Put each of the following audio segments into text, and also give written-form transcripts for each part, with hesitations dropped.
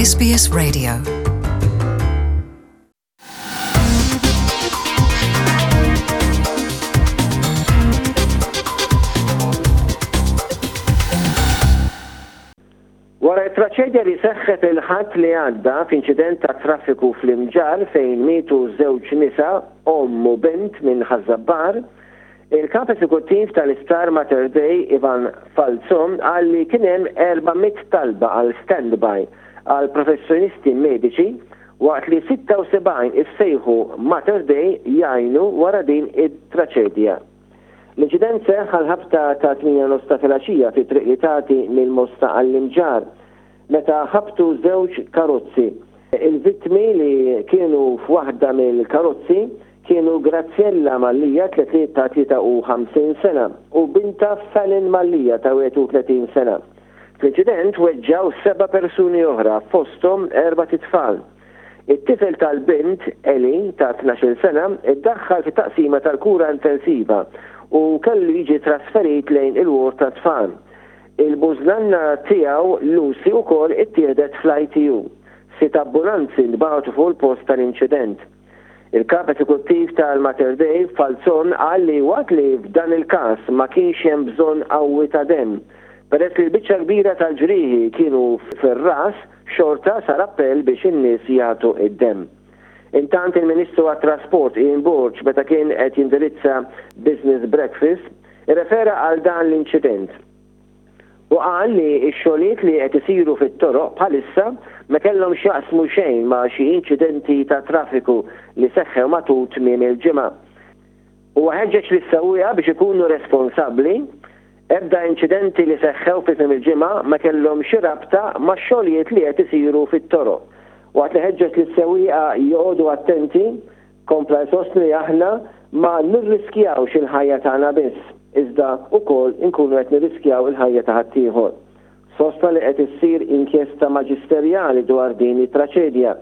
SBS Radio. Wara t-traċedja li seħħet il-Ħadd li għadda f'inċident ta' traffiku fl-Imġarr fejn mietu żewġ nisa, omm u bint minn Ħaż-Żabbar, il-Kap Eżekuttiv tal-Isptar Mater Dei Ivan Falzon qal li kien hemm 400 talba għal standby għal professjonisti mediċi waqt li 76 issejħu Mater Dei jgħinu wara din it-traċedja. L-inċident seħħ għall-ħabta ta' 8 nofs ta' filgħaxija fi triq li tagħti mill-Mosta għall-Imġarr, meta ħabtu żewġ karozzi. Il-vittmi li kienu f'waħda mill-karozzi kienu Graziella Mallia ta' 53 sena u bintha Fallon Mallia ta' 31 sena. Fl-inċident weġġgħu seba' persuni oħra fosthom erbat itfal. It-tifel tal-bint, Eli, ta' 12-il sena, iddaħħal fit-taqsima tal-kura intensiva u kellu jiġi trasferit lejn il-ward tat-tfal. Il-bużnanna tiegħu, Lucy, ukoll ittieħdet fl-ITU. Sitt ambulanzi ntbagħtu fuq il-post tal-inċident. Il-Kap Eżekuttiv tal-Mater Dei, Falzon, qal li waqt li f'dan il-każ ma kienx hemm bżonn qawwi ta' demm, peress li l-biċċa l-kbira tal-ġrieħi kienu fir-ras, Xorta sar appell biex in-nies jagħtu d-demm. Intant il-Ministru għat-Trasport Ian Borg meta kien qed jindirizza Business Breakfast irrefera għal dan l-inċident u qal li x-xogħlijiet li qed isiru fit-toroq bħalissa ma kellhom x'jaqsmu xejn ma' xi inċidenti ta' traffiku li seħħew matul tmiem il-ġimgħa. Huwa ħeġġeġ lis-sewwieqa biex ikunu responsabbli Ebda inċidenti li seħħew fi tmiem il-ġimgħa ma kellhom xi rabta max-xogħlijiet li qed isiru fit-toroq. Waqt li ħeġġeġ lis-sewwieqa joqogħdu attenti, kompla jsostni li aħna ma nirriskjawx il-ħajja tagħna biss, iżda wkoll inkunu qed nirriskjaw il-ħajja ta' ħaddieħor. Sostna li qed issir inkjesta maġisterjali dwar din it-traċedja.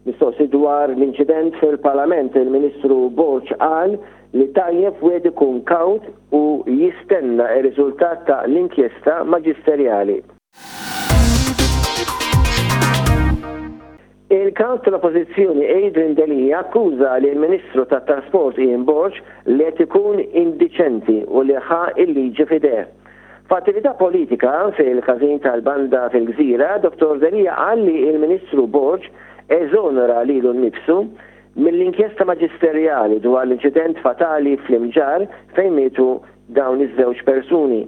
Mistoqsi dwar l-inċident fil-Parlament, il-Ministru Borg qal li tajjeb wieħed ikun kawt u jistenna r-riżultat ta' l-inkjesta maġisterjali. Il-Kap tal-Oppożizzjoni Adrian Delia akkuża lill-Ministru tat-Trasport Ian Borg li qed ikun indiċenti u li ħa l-liġi f'idejh. F'attività politika fil-każin tal-banda fil-Gżira, Dottor Delia qal li l-Ministru Borg eżonera lilu nnifsu mill-inkjesta maġisterjali dwar l-inċident fatali fl-Imġarr fejn mietu dawn iż-żewġ persuni.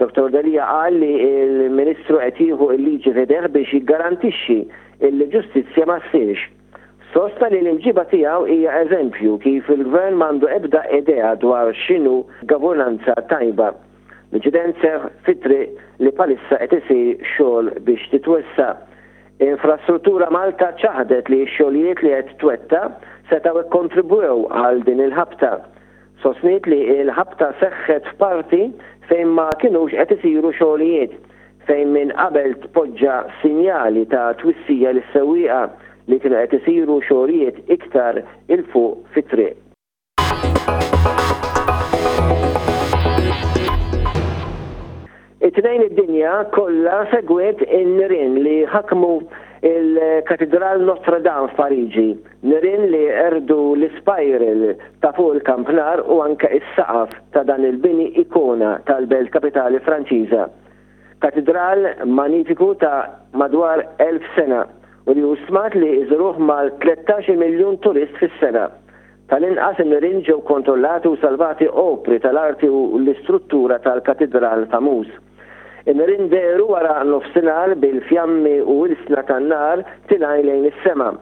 Dottor Delia qal li l-Ministru qed jieħu l-liġi f'idejh biex jiggarantixxi illi ġustizzja ma ssirx. Sostna li l-imġiba tiegħu hija eżempju kif il-Gvern m'għandu ebda idea dwar x'inhu governanza tajba. L-inċident seħħ fi triq li bħalissa qed isir xogħol biex titwessa'. Infrastruttura Malta ċaħdet li x-xogħlijiet li qed twettaq setgħu kkontribwew għal din il-ħabta. Sostniet li l-ħabta seħħet f'parti fejn ma kinux qed isiru xogħlijiet, fejn minn qabel tpoġġa sinjali ta' twissija lis-sewwieqa li kienu qed isiru xogħlijiet iktar 'il fuq fit-triq. It-Tnejn id-dinja kollha segwiet in-nirien li ħakmu il-Katidral Notre Dame f'Pariġi, nirien li qerdu l-ispiral ta' fuq il-kampnar u anke s-saqaf ta' dan il-bini ikona tal-belt kapitali Franċiża. Katidral manifiku ta' madwar 1,000 sena u li hu stmat li jżuruh mal-13-il miljun turist fis-sena. Tal-inqas in-nirien ġew kontrollati u salvati opri tal-arti u l-istruttura tal-katidral famuż. In-nirien dehru wara nofsinhar bil-fjammi u ilsna tan-nar tilgħin lejn is-sema.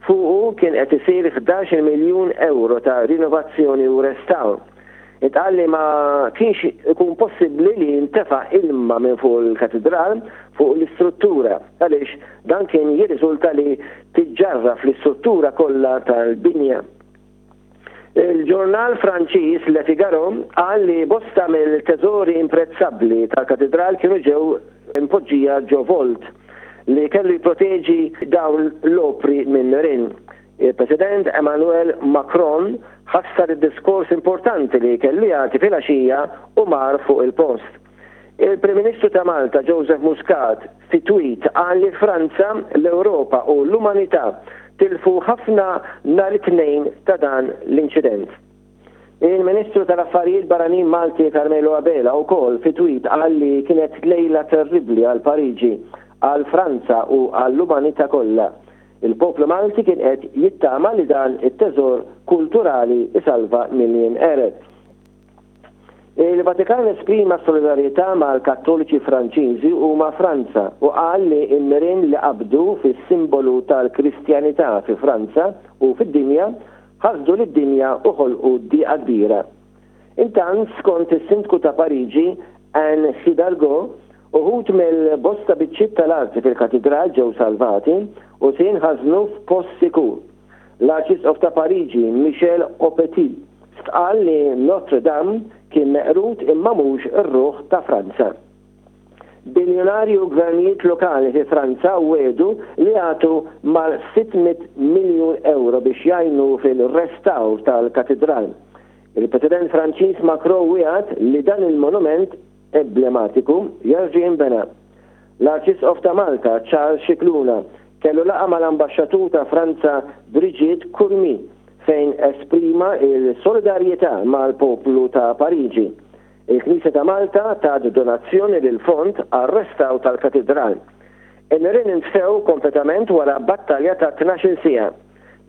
Fuqu kien qed isir 11-il miljun ewro ta' rinovazzjoni u restawr. Intqal li ma kienx ikun possibbli li jintefa' ilma minn fuq il-katidral fuq l-istruttura għaliex dan kien jirriżulta li tiġġarraf l-istruttura kollha tal-binja. Il-ġurnal Franċiż Le Figaro qal li bosta mill-teżori imprezzabbli tal-katidral kienu ġew impoġġija ġo vault li kellu jipproteġi dawn l-opri minn nirien. Il-President Emmanuel Macron ħassar id-diskors importanti li kellu jagħti filgħaxija u mar fuq il-post. Il-Prim Ministru ta' Malta Joseph Muscat fi tweet qal li Franza, l-Ewropa u l-umanità tilfu ħafna nhar it-Tnejn ta' dan l-inċident. Il-Ministru tal-Affarijiet Barranin Malti Carmelo Abela wkoll fi tweet qal li kienet lejla terribbli għal Pariġi, għal Franza u għall-umanità kollha. Il-poplu Malti kien qed jittama li dan it-teżor kulturali jsalva milli jinqered. Il-Vatikan esprima solidarjetà mal-Kattoliċi Franċiżi u ma' Franza u qal li n-nirien li qabdu fis-simbolu tal-Kristjanità fi Franza u fid-dinja ħasdu lid-dinja u ħolqu dieqa kbira. Intant, skont is-Sindku ta' Pariġi, Anne Hidalgo, uħud mill-bosta biċċiet tal-arti fil-katidral ġew salvati u se jinħażnu f'post sikur. L-Arċisqof ta' Pariġi, Michel Aupetit, stqarr li Notre Dame kien meqrud imma mhux ir-ruħ ta' Franza. Biljunarji u gvernijiet lokali fi Franza wiegħdu li jagħtu mal-600 miljun ewro biex jgħinu fil-restawr tal-katidral. Il-President Franċiż Macron wiegħed li dan il-monument emblematiku jerġa' jinbena. L-Arċisqof ta' Malta, Charles Scicluna, kellu laqgħa mal-Ambaxxatur ta' Franza Brigitte Curmi fejn esprima l-solidarjetà mal-poplu ta' Pariġi. Il-Knisja ta' Malta tat donazzjoni lill-fond għar-restawr tal-Katidral. In-nirien intfew kompletament wara battalja ta' 12-il siegħa.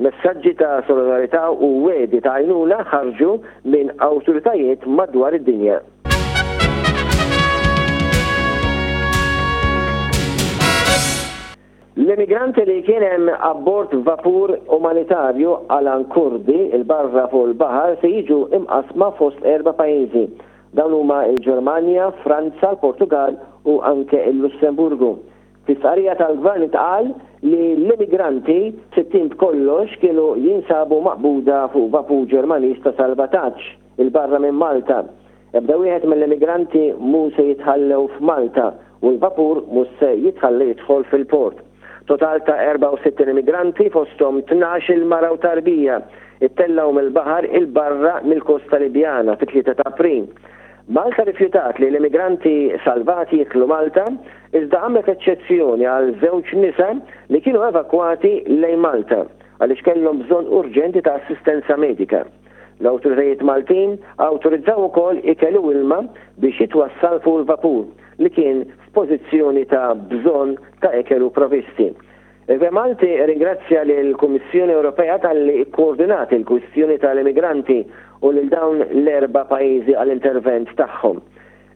Messaġġi ta' solidarità u wegħdi ta' għajnuna ħarġu minn awtoritajiet madwar id-dinja. L-immigranti li kien hemm abbord vapur umanitarju Alan Kurdi 'l barra fuq il-baħar se jiġu imqassma fost erba' pajjiżi. Dawn huma l-Ġermanja, Franza, l-Portugall u anke l-Lussemburgu. Fi stqarrija tal-Gvern intqal li l-immigranti, 60 b'kollox, kienu jinsabu maqbuda fuq vapur Ġermaniż ta' salvataġġ 'il barra minn Malta. Ebda wieħed mill-immigranti mhu se jitħallew f'Malta u l-vapur mhux se jitħalla jidħol fil-port. Total ta' 64 immigranti, fosthom 12-il mara u tarbija, ittellgħu mill-baħar 'il barra mill-kosta Libjana fit-3 ta' April. Malta rrifjutat li l-immigranti salvati jidħlu Malta, iżda għamlet eċċezzjoni għal żewġ nisa li kienu evakwati lejn Malta għaliex kellhom bżonn urġenti ta' assistenza medika. L-awtoritajiet Maltin awtorizzaw ukoll ikel u ilma biex jitwassal fuq il-vapur li kien f'pożizzjoni ta' bżonn ta' ikel u provisti. Il-Gvern Malti rringrazzja lill-Kummissjoni Ewropea talli kkoordinat il-kwistjoni tal-immigranti u lil dawn l-erba' pajjiżi għall-intervent tagħhom.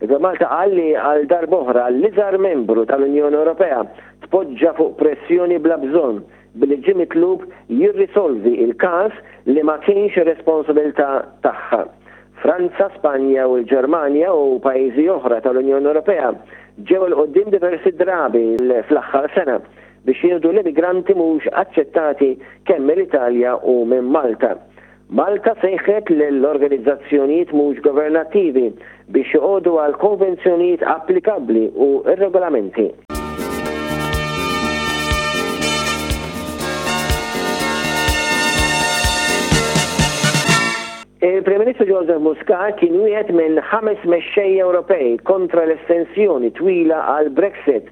Il-Gvern Malta qal li għal darb'oħra l-iżgħar membru tal-Unjoni Ewropea tpoġġa fuq pressjoni bla bżonn billi ġie mitlub jirrisolvi l-każ li ma kienx ir-responsabilità tagħha. Franza, Spanja u l-Ġermanja u pajjiżi oħra tal-Unjoni Ewropea ġew 'il quddiem diversi drabi fl-aħħar sena biex jieħdu l-immigranti mhux aċċettati kemm mill-Italja u minn Malta. Malta sejħet lill-organizzazzjonijiet mhux governattivi biex joqogħdu għall-konvenzjonijiet applikabbli u r-regolamenti. Il-Prim Ministru Joseph Muscat kien wieħed minn ħames mexxejja Ewropej kontra l-estensjoni twila għal Brexit.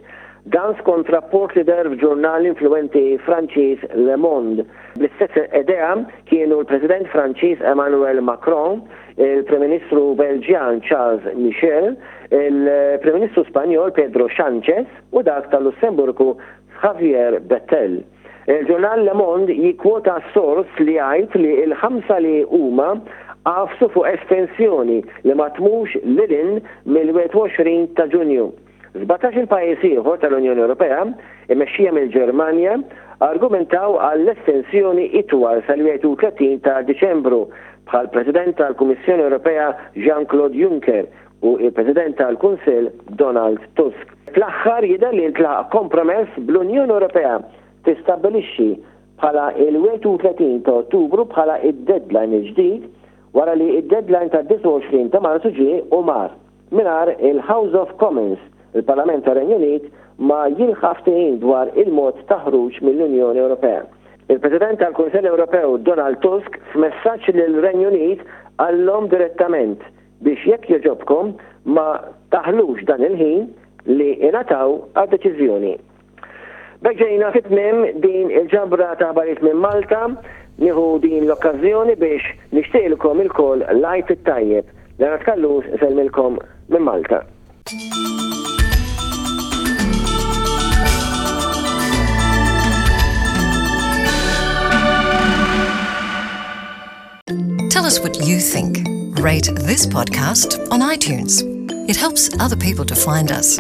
Dan skont rapport li deher f'ġurnal influwenti Franċiż Le Monde. Bl-istess idea kienu l-President Franċiż Emmanuel Macron, il-Prim Ministru Belġjan Charles Michel, il-Prim Ministru Spanjol Pedro Sanchez u dak tal-Lussemburgu Xavier Bettel. Il-ġurnal Le Monde jikkwota sors li jgħid li l-ħamsa li huma għafsu fuq estensjoni li ma tmurx lil hinn mill-21 ta' Ġunju. Sbatax-il pajjiż ieħor tal-Unjoni Ewropea, immexxija mill-Ġermanja, argumentaw għall-estensjoni itwal sal-31 ta' Diċembru, bħall-President tal-Kummissjoni Ewropea Jean-Claude Juncker u l-President tal-Kunsill Donald Tusk. Fl-aħħar jidher li ntlaħaq kompromess bl-Unjoni Ewropea tistabbilixxi bħala il-31 ta' Ottubru bħala id-deadline il-ġdid wara li id-deadline tad-29 ta' Marzu ġie u mar mingħajr il-House of Commons, il-Parlament tar-Renju Unit, ma jilħaq ftehim dwar il-mod ta' ħruġ mill-Unjoni Ewropea. Il-President tal-Kunsill Ewropew Donald Tusk f'messaġġ lill-Renju Unit qallhom direttament. biex jekk jogħġobkom ma taħlux dan il-ħin li ingħataw għad-deċiżjoni. B'hekk ġejna fi tmiem din il-ġabra ta' aħbarijiet minn Malta. Nieħu din l-okkażjoni biex nixtieqilkom ilkoll l-Għid it-tajjeb. Leonard Callus isellmilkom minn Malta. Tell us what you think. Rate this podcast on iTunes. It helps other people to find us.